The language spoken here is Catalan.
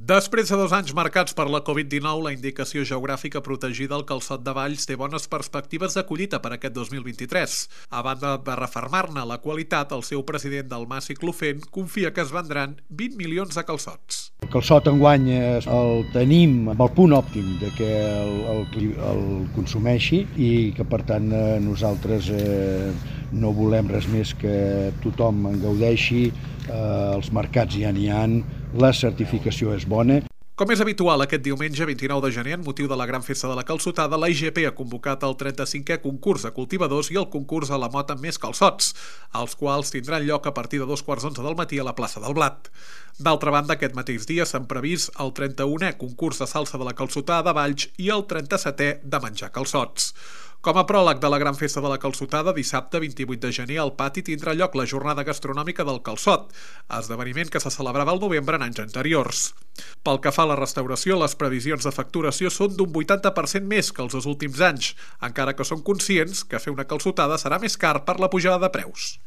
Després de 2 anys marcats per la Covid-19, la indicació geogràfica protegida al Calçot de Valls té bones perspectives de collita per aquest 2023. A banda de refermar-ne la qualitat, el seu president Dalmaci Clofent confia que es vendran 20 milions de calçots. El calçot enguany el tenim amb el punt òptim de que el consumeixi i que per tant nosaltres no volem res més que tothom en gaudeixi, els mercats ja n'hi ha, la certificació és bona. Com és habitual, aquest diumenge 29 de gener, en motiu de la Gran Festa de la Calçotada, la IGP ha convocat el 35è concurs de cultivadors i el concurs a la mota amb més calçots, els quals tindran lloc a partir de 2:15 del matí a la plaça del Blat. D'altra banda, aquest mateix dia s'han previst el 31è concurs de salsa de la Calçotada de Valls i el 37è de menjar calçots. Com a pròleg de la Gran Festa de la Calçotada, dissabte 28 de gener al pati tindrà lloc la jornada gastronòmica del calçot, esdeveniment que se celebrava al novembre en anys anteriors. Pel que fa a la restauració, les previsions de facturació són d'un 80% més que els dos últims anys, encara que són conscients que fer una calçotada serà més car per la pujada de preus.